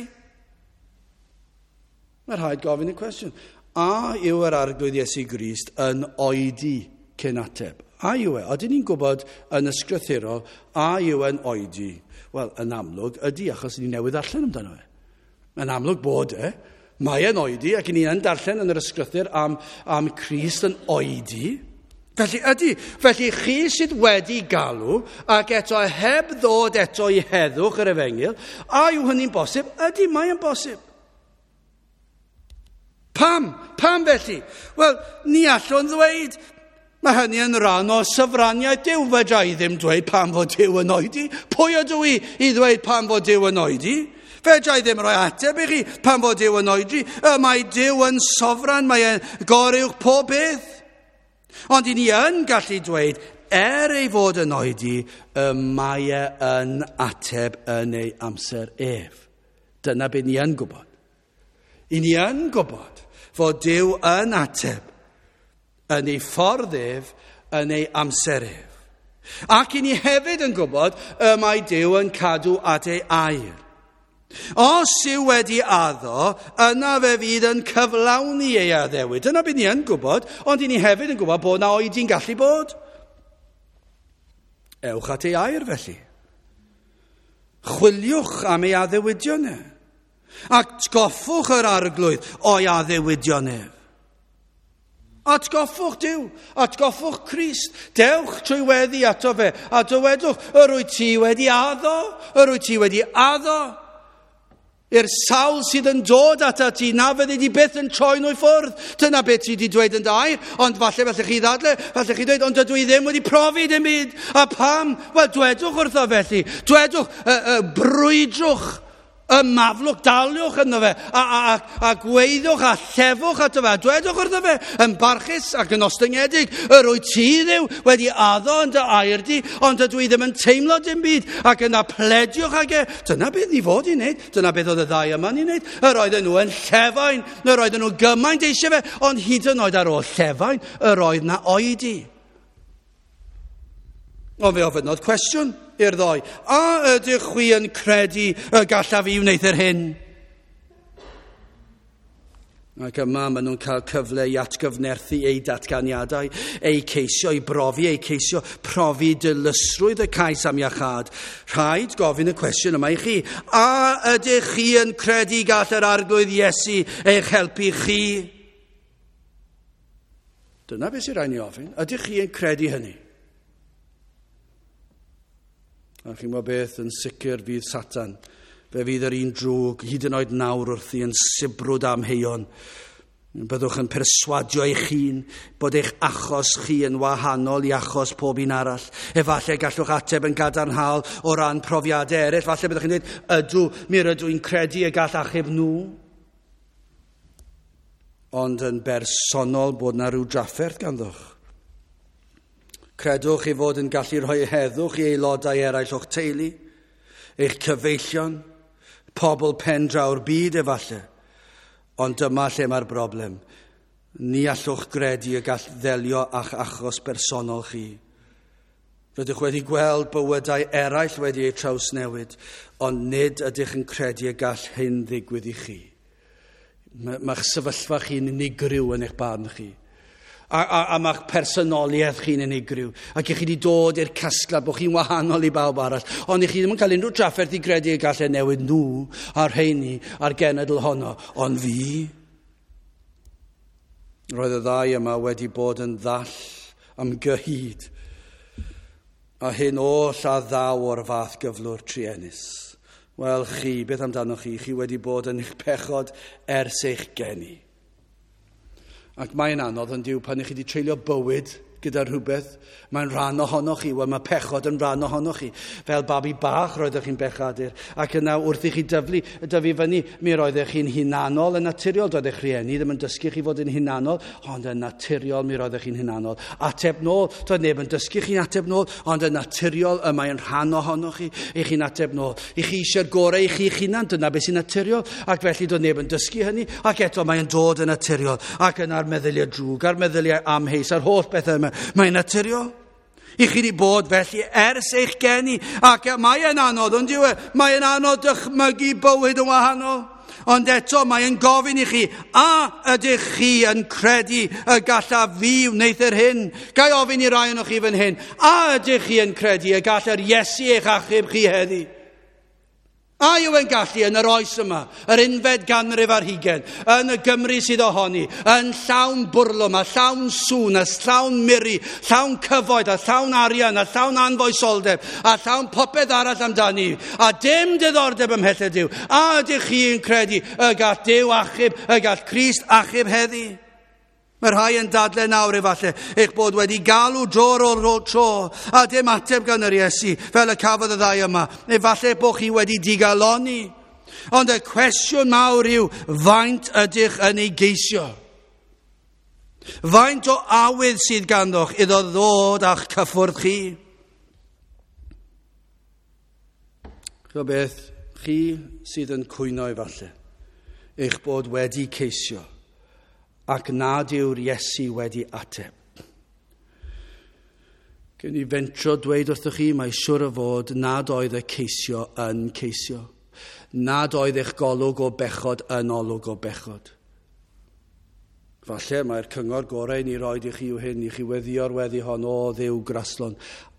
A: Mae rhaid gofyn y cwestiwn. A yw yr Arglwydd Iesu Grist yn oedi cyn ateb? A yw e? Odyn ni'n gwybod yn ysgrythurol, a yw e'n oedi? Wel, yn amlwg ydy, achos ni newydd ddarllen amdano fe. Yn amlwg bod e. Mae e'n oedi, ac ni yn darllen yn yr ysgrythur am Crist yn oedi. Felly ydy, felly chi sydd wedi galw ac eto heb ddod eto i heddwch yr efengyl, a yw hynny'n bosib? Ydy, mae yn bosib. Pam? Pam felly? Wel, ni allwn ddweud, mae hynny yn rhan o syfraniaeth Duw. Fedra i ddim dweud pam fod Duw yn oedi. Pwy ydw i i ddweud pam fod Duw yn oedi? Fedra i ddim rhoi ateb i chi pam fod Duw yn oedi. Y mae Duw yn sofran, mae e'n goruwch pob beth. Ond i ni yn gallu dweud, er ei fod yn oedi, y mae e yn ateb yn ei amser ef. Dyna beth ni yn gwybod. I ni yn gwybod fod Duw yn ateb yn ei ffordd ef, yn ei amser ef. Ac i ni hefyd yn gwybod y mae Duw yn cadw at ei air. Os yw wedi addo, yna fe fydd yn cyflawni ei addewid. Dyna beth ni yn gwybod, ond i ni hefyd yn gwybod bod na oedi'n gallu bod. Ewch at ei air felly. Chwiliwch am ei addewidion e. Atgoffwch yr Arglwydd o'i addewidion ef. Atgoffwch Duw, atgoffwch Crist. Dewch trwy weddi ato fe a dywedwch, yr wyt ti wedi addo, yr wyt ti wedi addo. I'r sawl sydd yn dod atat ti, na fyddi di byth yn troi nhw i ffwrdd. Dyna beth ti wedi dweud yn dy air, ond falle chi ddadle, falle chi dweud, ond dydw i ddim wedi profi dim byd. A pam? Wel, dwedwch wrtho felly. Dwedwch, brwydrwch, ymaflwch, daliwch ynddo fe, a gweiddwch a llefwch ato fe, a dwedwch wrtho fe, yn barchus ac yn ostyngedig, yr wyt ti Dduw wedi addo yn dy air di, ond dydw i ddim yn teimlo dim byd, ac yna plediwch ag e. Dyna beth ni fod i wneud, dyna beth oedd y ddau yma'n ei wneud. Yr oedden nhw yn llefain, yr oedden nhw gymaint eisiau fe, ond hyd yn oed ar ôl llefain, yr oedd na oedi. Ond fe ofynnodd cwestiwn i'r ddoi. A ydych chwi yn credu y gallaf i wneud yr hyn? Ac yma maen nhw'n cael cyfle i atgyfnerthu eu datganiadau, eu ceisio i brofi, eu ceisio profi dilysrwydd y cais am iachâd. Rhaid gofyn y cwestiwn yma i chi. A ydych chi yn credu gall yr Arglwydd Iesu eich helpu chi? Dyna beth sy'n rhaid ni ofyn. Ydych chi yn credu hynny? A chi'n gwybod beth, yn sicr fydd Satan. Fe fydd yr un drwg, hyd yn oed nawr wrthi yn sibrwd amheuon. Byddwch yn perswadio eich hun bod eich achos chi yn wahanol i achos pob un arall. Efallai gallwch ateb yn gadarnhaol o ran profiadau eraill. Falle byddwch chi'n dweud, ydw, mi rydw i'n credu y gall achub nhw. Ond yn bersonol bod na rhyw drafferth ganddoch. Credwch ei fod yn gallu rhoi heddwch i aelodau eraill o'ch teulu, eich cyfeillion, pobl pen draw'r byd efallai. Ond dyma lle mae'r broblem. Ni allwch gredu y gall ddelio â'ch achos bersonol chi. Rydych wedi gweld bywydau eraill wedi eu trawsnewid, ond nid ydych yn credu y gall hyn ddigwydd i chi. Mae'ch sefyllfa chi'n unigryw yn eich barn chi. A mae'ch personoliaeth chi'n unigryw. Ac i chi wedi dod i'r casgliad bod chi'n wahanol i bawb arall. Ond i chi ddim yn cael unrhyw drafferth i gredu y gallai newid nhw a'r rheini a'r genedl honno. Ond fi, roedd y ddau yma wedi bod yn ddall am gyhyd. A hyn oll a ddaw o'r fath gyflwr truenus. Wel chi, beth amdanoch chi? Chi wedi bod yn eich pechod ers eich geni. Ac mae'n anodd yn dyw pan ych chi wedi treulio bywyd gyda rhywbeth, mae'n rhan ohonoch chi, wel mae pechod yn rhan ohonoch chi. Fel babi bach roeddech chi'n bechadur, ac yna wrth i chi dyfu fyny, mi roeddech chi'n hunanol yn naturiol, doedd eich rhieni ddim yn dysgu chi fod yn hunanol, ond yn naturiol mi roeddech chi'n hunanol. Ateb nôl, doedd neb yn dysgu chi'n ateb nôl, ond yn naturiol y mae'n rhan ohonoch chi, i chi'n ateb nôl. I chi eisiau'r gorau i chi'ch hunan, dyna beth sy'n naturiol, ac felly doedd neb yn dysgu hynny, ac eto mae'n dod yn naturiol, ac yna'r meddyliau drwg, a'r meddyliau amheus, a'r holl bethau yma. Mae'n naturiol. I chi wedi bod felly ers eich geni, ac mae e'n anodd, ond yw e? Mae e'n anodd dychmygu bywyd yn wahanol. Ond eto mae e'n gofyn i chi, a ydych chi yn credu y gallaf fi wneud yr hyn? Ga i ofyn i rai ohonoch chi fan hyn, a ydych chi yn credu y gall yr Iesu eich achub chi heddi? A yw e'n gallu yn yr oes yma, yr unfed ganrif ar hugain, yn y Gymru sydd ohoni, yn llawn bwrlwm a llawn sŵn a llawn miri, llawn cyfoeth a llawn arian a llawn anfoesoldeb a llawn popeth arall amdani, a dim diddordeb ym mhethau Duw. A ydych chi'n credu y gall Duw achub, y gall Crist achub heddi? Mae rhai yn dadle nawr efallai eich bod wedi galw dro ar ôl tro a dim ateb gan yr Iesu fel y cafodd y ddau yma. Efallai bod chi wedi digalonni. Ond y cwestiwn mawr yw, faint ydych yn ei geisio? Faint o awydd sydd ganddoch iddo ddod a'ch cyffwrdd chi? Ch'mo beth, chi sydd yn cwyno efallai, eich bod wedi ceisio ac nad yw'r Iesu wedi ateb. Gen i fentro dweud wrthych chi, mae siwr o fod nad oedd y ceisio yn ceisio. Nad oedd eich golwg o bechod yn olwg o bechod. Falle mae'r cyngor gorau ni roed i chi yw hyn, i chi weddïo'r weddi hon, o Dduw graslon,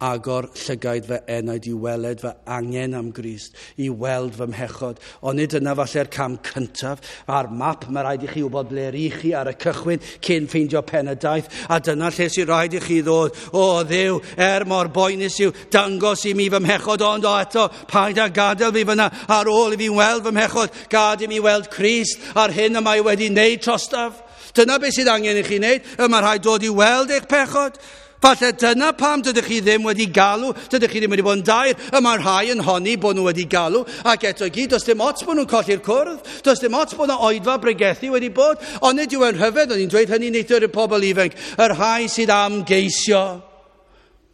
A: agor llygaid fy enaid i weled fy angen am Grist, i weld fy mhechod. Ond nid yna falle'r cam cyntaf. Ar map mae rhaid i chi wybod ble rych chi ar y cychwyn cyn ffeindio pen y daith, a dyna lle sy'n rhaid i chi ddod. O Dduw, er mor boenus yw, dangos i mi fy mhechod, ond o eto, paid â gadael fi fyna ar ôl i fi weld fy mhechod, gad i mi weld Crist a'r hyn y mae wedi wneud trostaf. Dyna beth sydd angen i chi wneud. Y mae rhaid dod i weld eich pechod. Falle dyna pam dydych chi ddim wedi galw, dydych chi ddim wedi bod yn daer. Y mae rhai yn honni bod nhw wedi galw, ac eto i gyd, does dim ots bod nhw'n colli'r cwrdd, does dim ots bod yna oedfa bregethu wedi bod, ond nid yw e'n rhyfedd, o'n i'n dweud hynny neithiwr i'r pobl ifanc, y rhai sydd am geisio.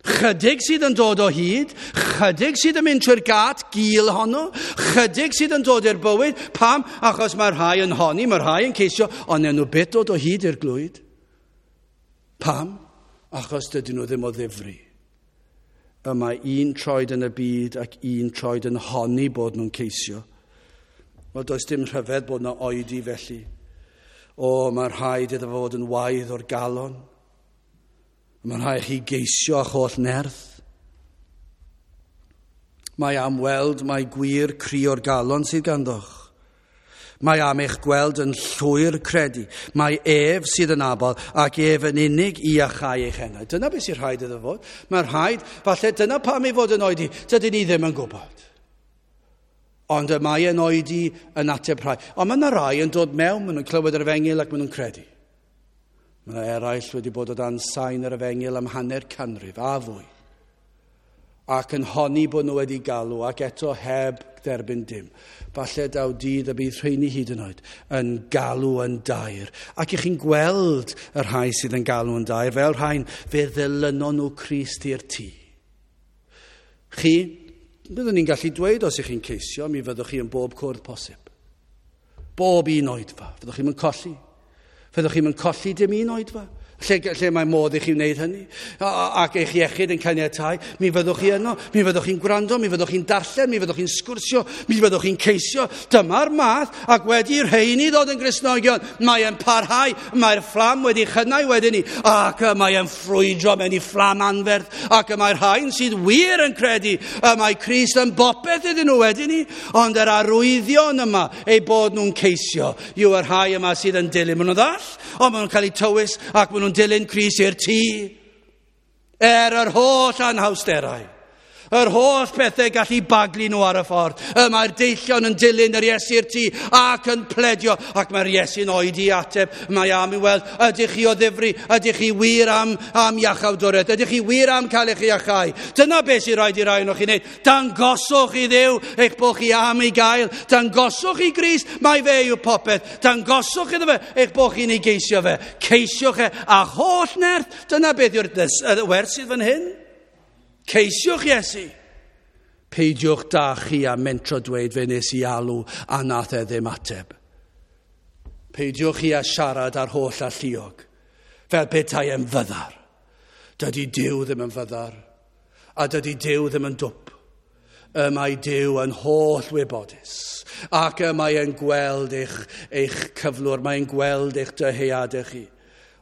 A: Chydig sydd yn dod o hyd, chydig sydd yn mynd trwy'r gat gul honno, chydig sydd yn dod i'r bywyd. Pam? Achos mae rhai yn honni, mae rhai yn ceisio, ond nhw byth dod o hyd i'r glwyd. Pam? Achos dydyn nhw ddim o ddifri. Y mae un troed yn y byd ac un troed yn honni bod nhw'n ceisio. Wel, does dim rhyfedd bod yna oedi felly. O, mae rhaid iddo fod yn waedd o'r galon. Mae'n rhaid chi geisio â'ch holl nerth. Mae am weld mai gwir cri o'r galon sydd ganddoch. Mae am eich gweld yn llwyr credu. Mae ef sydd yn abal ac ef yn unig i iachau eich enaid. Dyna beth sy'n rhaid iddo fod. Mae'n rhaid, falle dyna pam ei fod yn oedi. Dydyn ni ddim yn gwybod. Ond y mae yn oedi yn ateb rhai. Ond mae yna rai yn dod mewn, maen nhw'n clywed yr efengyl ac maen nhw'n credu. Mae yna eraill wedi bod o dan sain yr efengyl am hanner canrif a fwy, ac yn honni bod nhw wedi galw ac eto heb dderbyn dim. Falle daw dydd y bydd rheini hyd yn oed yn galw yn daer. Ac i chi'n gweld y rhai sydd yn galw yn daer, fel rhain, fe ddilynon nhw Crist i'r tŷ. Chi, byddwn ni'n gallu dweud os ych chi'n ceisio, mi fyddwch chi yn bob cwrdd posib. Bob un oedfa, fyddwch chi'n colli. Fyddwch chi'n colli dim un oedfa. Lle mae modd i chi wneud hynny. Ac eich iechyd yn caniatáu, mi fyddwch chi yno, mi fyddwch chi'n gwrando, mi fyddwch chi'n darllen, mi fyddwch chi'n sgwrsio, mi fyddwch chi'n ceisio. Dyma'r math, ac wedi rheini ddod yn Gristnogion, mae e'n parhau, mae'r fflam wedi chynnau wedyn ni, ac mae e'n ffrwydro mewn i fflam anferth, ac y mae'r rhain sydd wir yn credu, y mae Crist yn bopeth iddyn nhw wedyn ni, ond yr arwyddion yma, eu bod nhw'n ceisio, yw y rhai yma sydd yn dilyn. Maen nhw'n ddall, ond maen nhw'n cael eu tywys, ac maen nhw'n dilyn Crist i'r tŷ. Er yr holl anhawsterau, yr holl bethau gallu baglu nhw ar y ffordd, y mae'r deillion yn dilyn yr Iesu i'r tŷ ac yn pledio, ac mae'r Iesu'n oedi ateb. Mae am i weld, ydych chi o ddifri, ydych chi wir am iachawdwriaeth, ydych chi wir am cael eich iachau. Dyna beth sy'n rhaid i rai ohonoch chi wneud. Dangoswch i Dduw eich bod chi am ei gael. Dangoswch i Grist, mai fe yw popeth. Dangoswch iddo fe eich bod chi'n ei geisio fe. Ceisiwch e â holl nerth. Dyna beth yw'r wers sydd fan hyn. Ceisiwch Iesu. Peidiwch da chi a mentro dweud fe nes i alw a nath e ddim ateb. Peidiwch chi a siarad ar holl alluog, fel petai e'n fyddar. Dydy Duw ddim yn fyddar. A dydy Duw ddim yn dwp. Y mae Duw yn holl wybodus. Ac y mae e'n gweld eich cyflwr, mae'n gweld eich dyheadau chi.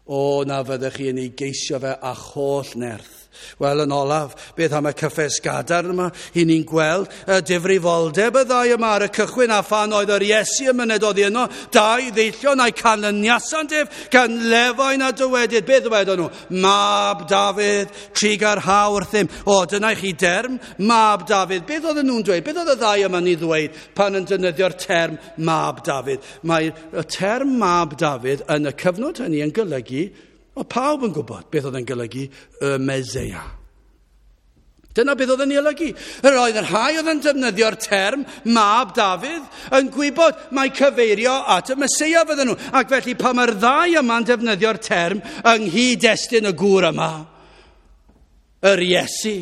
A: O, na fyddech chi yn ei geisio fe â'ch holl nerth. Wel, yn olaf, beth am y cyffes gadarn yma? I ni'n gweld y difrifoldeb y ddau yma ar y cychwyn, a phan oedd yr Iesu yn myned oddi yno, dau ddeillion a'i canlyniasant ef gan lefain a dywedyd. Beth ddywedon nhw? Mab Dafydd, trugarha wrthym. O, dyna i chi derm, Mab Dafydd. Beth oedden nhw'n dweud? Beth oedd y ddau yma'n ei ddweud pan yn defnyddio'r term Mab Dafydd? Mae y term Mab Dafydd yn y cyfnod hynny yn golygu, o pawb yn gwybod beth oedd yn golygu y Meseia. Dyna beth oedd yn ei olygu. Yr oedd y rhai oedd yn defnyddio'r term Mab Dafydd yn gwybod mai cyfeirio at y Meseia fydden nhw. Ac felly pan mae'r ddau yma'n defnyddio'r term yng nghyd-destun y gŵr yma, yr Iesu,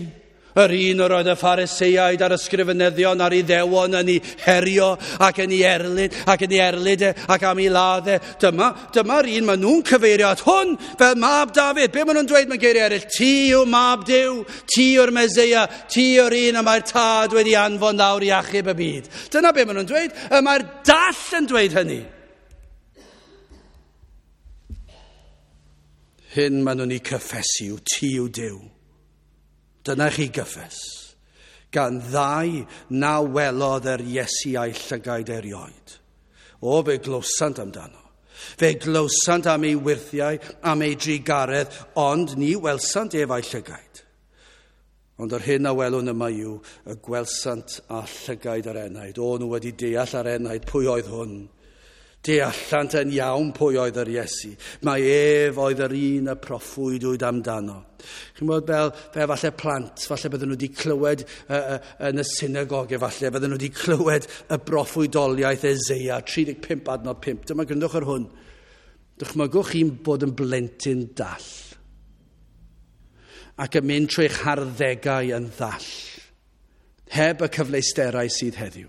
A: yr un yr oedd y Phariseiaid a'r ysgrifenyddion a'r Iddewon yn ei herio ac yn ei erlid, ac yn ei erlid e, ac am ei ladd e. Dyma'r un maen nhw'n cyfeirio at hwn fel Mab Dafydd. Be maen nhw'n dweud mewn geiriau eraill? Ti yw Mab Duw, ti yw'r Meseia, ti yw'r un y mae'r Tad wedi anfon lawr i achub y byd. Dyna be maen nhw'n dweud. Y mae'r dall yn dweud hynny. Hyn maen nhw'n ei cyffesu yw ti yw Duw. Dyna chi gyffes, gan ddau na welodd yr Iesu a'i llygaid erioed. O, fe glywsant amdano. Fe glywsant am ei wyrthiau, am ei drugaredd, ond ni welsant ef a'i llygaid. Ond yr hyn a welwn yma yw y gwelsant â llygaid yr enaid. O, nhw wedi deall ar enaid pwy oedd hwn. Deallant yn iawn pwy oedd yr Iesu. Mae ef oedd yr un y proffwydwyd amdano. Chi'n gwybod fel falle plant, falle bydden nhw wedi clywed yn y synagog, efallai bydden nhw wedi clywed y broffwydoliaeth Eseia, 35 adnod 5. Dyma gryndwch ar hwn. Dychmygwch chi'n bod yn blentyn dall ac yn mynd trwy'ch harddegau yn ddall, heb y cyfleusterau sydd heddiw.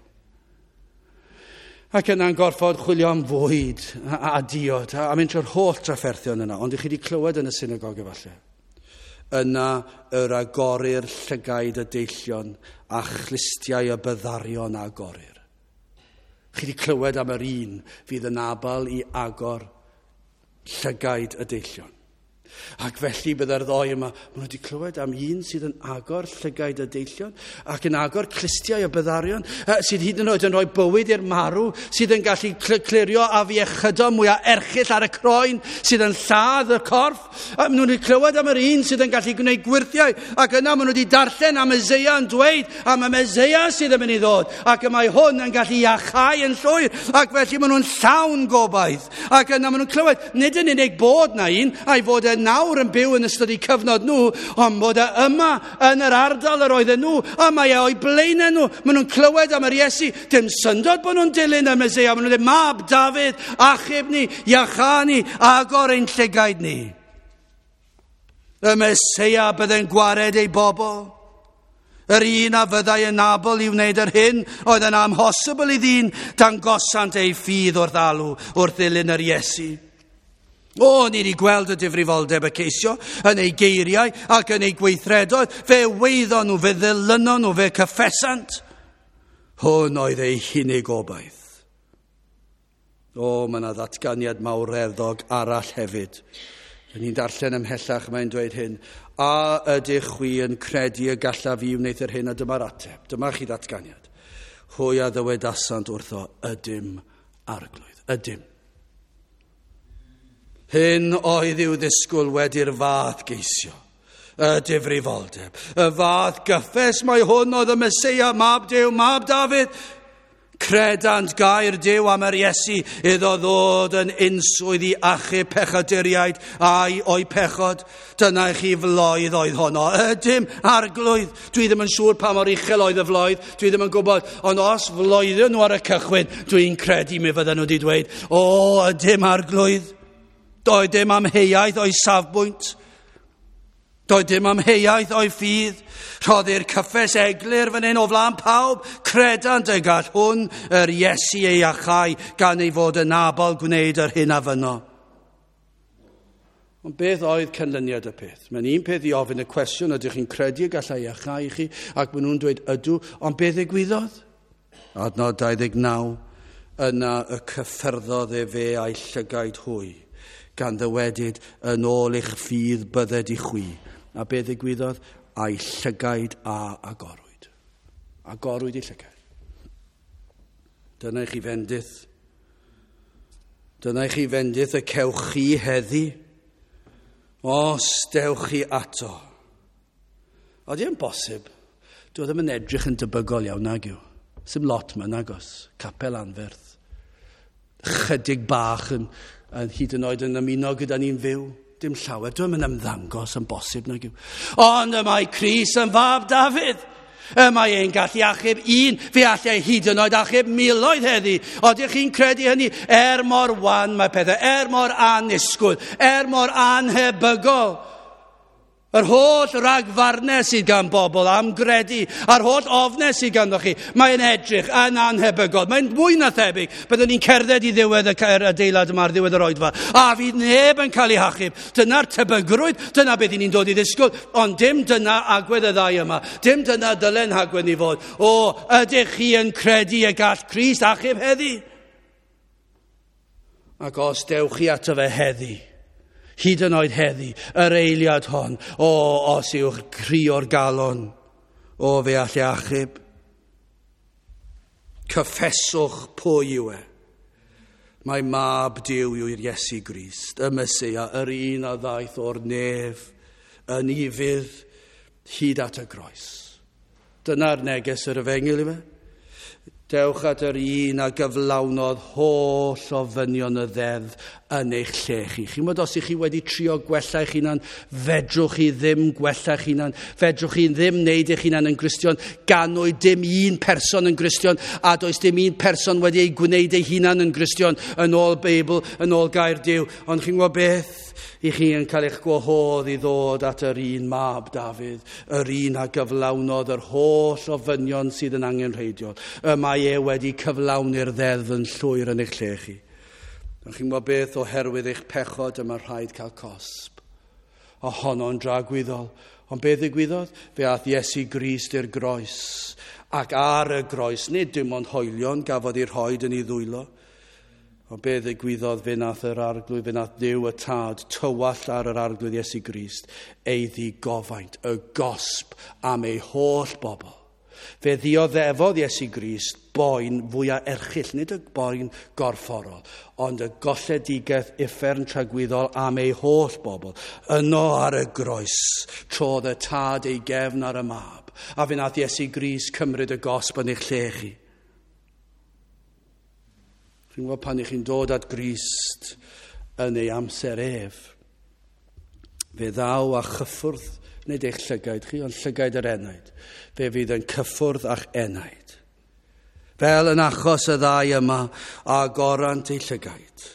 A: Ac yna'n gorfod chwilio am fwyd a diod a mynd trwy'r holl drafferthion yna, ond i chi wedi clywed yn y synagog efallai. Yna yr agorir llygaid y deillion a chlustiau y byddarion agorir. Chi wedi clywed am yr un fydd yn abal i agor llygaid y deillion. Ac felly bydde'r ddoi yma, maen nhw wedi clywed am un sydd yn agor llygaid y deillion ac yn agor clustiau y byddarion, sydd hyd yn oed yn rhoi bywyd i'r marw, sydd yn gallu clirio afiechydon mwyaf erchyll ar y croen, sydd yn lladd y corff. Maen nhw wedi clywed am yr un sydd yn gallu gwneud gwyrthiau, ac yna maen nhw wedi darllen am Eseia yn dweud am y Meseia sydd yn mynd i ddod, ac y mae hwn yn gallu iachau yn llwyr, ac felly maen nhw'n llawn gobaith. Ac yna maen nhw'n clywed, nid yn unig bod na un, a'i fod e nawr yn byw yn ystod eu cyfnod nhw, ond bod e yma yn yr ardal yr oedden nhw, a mae e o'i blaenau nhw. Maen nhw'n clywed am yr Iesu. Dim syndod bod nhw'n dilyn y Meseia. Maen nhw'n dweud, Mab Dafydd, achub ni, iachâ ni, agor ein llygaid ni. Y Meseia bydde'n gwared ei bobl. Yr un a fyddai yn abl i wneud yr hyn oedd yn amhosibl i ddyn, dangosant ei ffydd wrth alw, wrth ddilyn yr Iesu. O, ni wedi gweld y difrifoldeb y ceisio yn ei geiriau ac yn ei gweithredoedd. Fe weiddon nhw, fe ddilynon nhw, fe cyffesant. Hwn oedd ei hunig obaith. O, mae yna ddatganiad mawreddog arall hefyd. Yn ni'n darllen ymhellach, mae'n dweud hyn. A ydych chwi yn credu y gallaf fi wneud yr hyn? A dyma'r ateb. Dyma chi ddatganiad. Hwy a ddywedasant wrtho, ydym arglwydd. Ydym. Hyn oedd i'w ddisgwyl wedi'r fath geisio, y difrifoldeb, y fath gyffes mai hwn oedd y Meseia, Mab Duw, Mab Dafydd. Credant gair Duw am yr Iesu iddo ddod yn unswydd i achub pechaduriaid a'i o'i pechod. Dyna i chi floedd oedd honno. Ydym, arglwydd. Dwi ddim yn siŵr pa mor uchel oedd y floedd, dwi ddim yn gwybod. Ond os floedden nhw ar y cychwyn, dwi'n credu mi fydden nhw wedi dweud, o, ydym, arglwydd. Doedd dim amheuaeth o'i safbwynt. Doedd dim amheuaeth o'i ffydd. Rhoddir cyffes eglur fan hyn o flaen pawb. Credant y gall hwn yr Iesu ei achau gan ei fod yn abl gwneud yr hyn a fynno. Ond beth oedd canlyniad y peth? Mae'n un peth i ofyn y cwestiwn, ydych chi'n credu y gallai iachau i chi? Ac maen nhw'n dweud ydw, ond beth ddigwyddodd? Adnod 29, yna y cyffyrddodd efe a'i llygaid hwy, gan ddywedyd yn ôl eich ffydd bydded i chwi. A beth ddigwyddodd? A'i llygaid a agorwyd. Agorwyd ei llygaid. Dyna i chi fendith. Dyna i chi fendith y cewch chi heddi. Os dewch chi ato. Oeddi yn bosib, dwi ddim yn edrych yn debygol iawn nag yw. Sim lot yma nagos, capel anferth. Chydig bach yn, yn hyd yn oed yn ymuno gyda ni'n fyw. Dim llawer, dwi'n yn ymddangos yn bosib nag yw. Ond y mae Cris yn fab Dafydd. Y mae e'n gallu achub un, fe allai hyd yn oed achub miloedd heddi. Oeddech chi'n credu hynny? Er mor wan mae pethau, er mor anisgwyl, er mor anhebygol. Yr holl ragfarnau sydd gan bobl am gredu, a'r holl ofnau sydd ganddo chi, mae'n edrych yn anhebygol. Mae'n mwy na thebyg. Byddwn ni'n cerdded i ddiwedd y adeilad yma ar ddiwedd yr oedfa, a fydd neb yn cael ei hachub. Dyna'r tebygrwydd, dyna beth ni'n dod i ddisgwyl, ond dim dyna agwedd y ddau yma. Dim dyna dylen hagwedd ni fod. O, ydych chi yn credu y gall Crist achub heddi? Ac os dewch chi ato fe heddi, hyd yn oed heddi, yr eiliad hon, o, os yw'ch cri o'r galon, o, fe all e achub. Cyffeswch pwy yw e. Mae mab Duw yw'r Iesu Grist, y Meseia, yr un a ddaeth o'r nef, yn ufudd, hyd at y groes. Dyna'r neges yr efengyl i fe. Dewch at yr un a gyflawnodd holl ofynion y ddeddf yn eich lle chi. Chi'n gwybod os ych chi wedi trio gwella eich hunan, fedrwch chi ddim gwella eich hunan, fedrwch chi ddim wneud eich hunan yn Gristion, ganwyd dim un person yn Gristion, a does dim un person wedi ei gwneud ei hunan yn Gristion yn ôl Beibl, yn ôl gair Duw. Ond chi'n gwybod beth? I chi yn cael eich gwahodd i ddod at yr un mab Dafydd, yr un a gyflawnodd yr holl ofynion sydd yn angenrheidiol. Y mae e wedi cyflawni'r ddeddf yn llwyr yn eich lle chi. Ond chi'n gwybod beth, oherwydd eich pechod yma rhaid cael cosb. A honno'n dragwyddol. Ond beth ddigwyddodd? Fe ath Iesu Grist i'r groes. Ac ar y groes, nid dim ond hoelion gafodd ei rhoed yn ei ddwylo. Ond beth ddigwyddodd, fe nath yr arglwydd, fe nath Duw y Tad tywallt ar yr arglwydd Iesu Grist, ei ddigofaint, y gosb am ei holl bobl. Fe ddioddefodd Iesu Grist boen fwyaf erchyll, nid y boen gorfforol, ond y golledigaeth uffern tragwyddol am ei holl bobl. Yno ar y groes, trodd y Tad ei gefn ar y mab, a fe nath Iesu Grist cymryd y gosb yn eich lle chi. Chi'n gwybod pan ych chi'n dod at Grist yn ei amser ef, fe ddaw a chyffwrdd, nid eich llygaid chi, ond llygaid yr enaid. Fe fydd yn cyffwrdd a'ch enaid. Fel yn achos y ddau yma, agorant eu llygaid.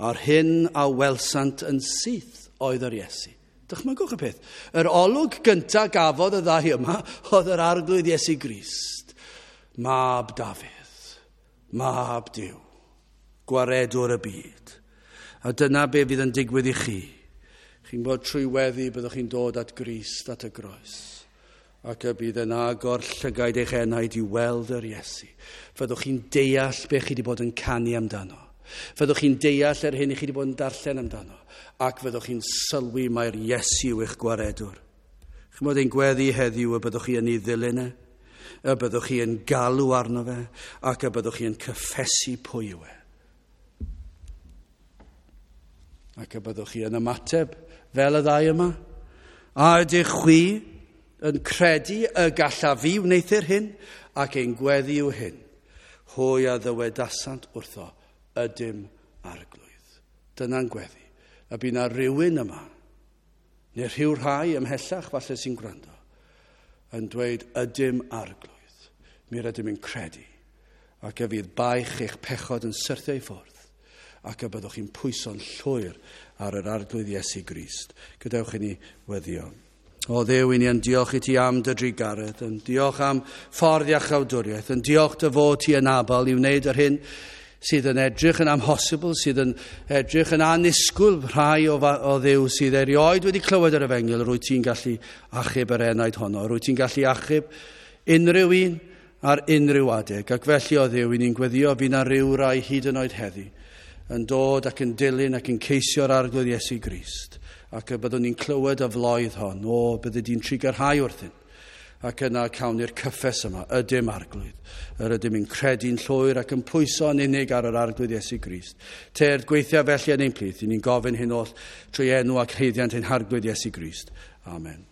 A: A'r hyn a welsant yn syth oedd yr Iesu. Dychmygwch y peth. Yr olwg gyntaf gafodd y ddau yma oedd yr arglwydd Iesu Grist. Mab Dafydd, mab Duw, gwaredwr y byd. A dyna be fydd yn digwydd i chi. Chi'n bod trwy weddi byddwch chi'n dod at Grist, at y groes. Ac y bydd yn agor llygaid eich enaid i weld yr Iesu. Fyddwch chi'n deall be chi wedi bod yn canu amdano. Fyddwch chi'n deall yr hyn i chi wedi bod yn darllen amdano. Ac fyddwch chi'n sylwi mai'r Iesu yw eich gwaredwr. Chi'n bod ein gweddi heddiw y byddwch chi yn ei ddilyn e, y byddwch chi yn galw arno fe, ac y byddwch chi yn cyffesu pwy yw e. Ac y byddwch chi yn ymateb fel y ddau yma. A ydych chwi yn credu y gallaf fi wneuthur hyn, ac ein gweddi yw hyn. Hwy a ddywedasant wrtho, ydym arglwydd. Dyna'n gweddi. A bydd na rhywun yma, neu rhyw rhai ymhellach falle sy'n gwrando, yn dweud ydym arglwydd. Mi rydym yn credu. Ac y fydd baich eich pechod yn syrthio i ffwrdd, ac y byddwch chi'n pwyso'n llwyr ar yr arglwydd Iesu Grist. Gadewch i ni weddio. O Dduw, i ni yn diolch i ti am dy drugaredd, yn diolch am ffordd iachawdwriaeth, yn diolch dy fod ti yn abl i wneud yr hyn sydd yn edrych yn amhosibl, sydd yn edrych yn annisgwyl rhai o Dduw sydd erioed wedi clywed yr efengyl, rwyt ti'n gallu achub yr enaid honno, rwyt ti'n gallu achub unrhyw un ar unrhyw adeg. Ac felly o Dduw, i ni'n gweddio fydd na ryw rai hyd yn oed heddi yn dod ac yn dilyn ac yn ceisio'r Arglwydd Iesu Grist, ac y byddwn ni'n clywed y floedd hon, o, bydde di'n trugarhau wrthyn. Ac yna cawn ni'r cyffes yma, ydym Arglwydd. Yr ydym yn credu'n llwyr ac yn pwyso yn unig ar yr Arglwydd Iesu Grist. Tyrd gweithio felly yn ein plith, i ni'n gofyn hyn oll trwy enw ac haeddiant ein Harglwydd Iesu Grist. Amen.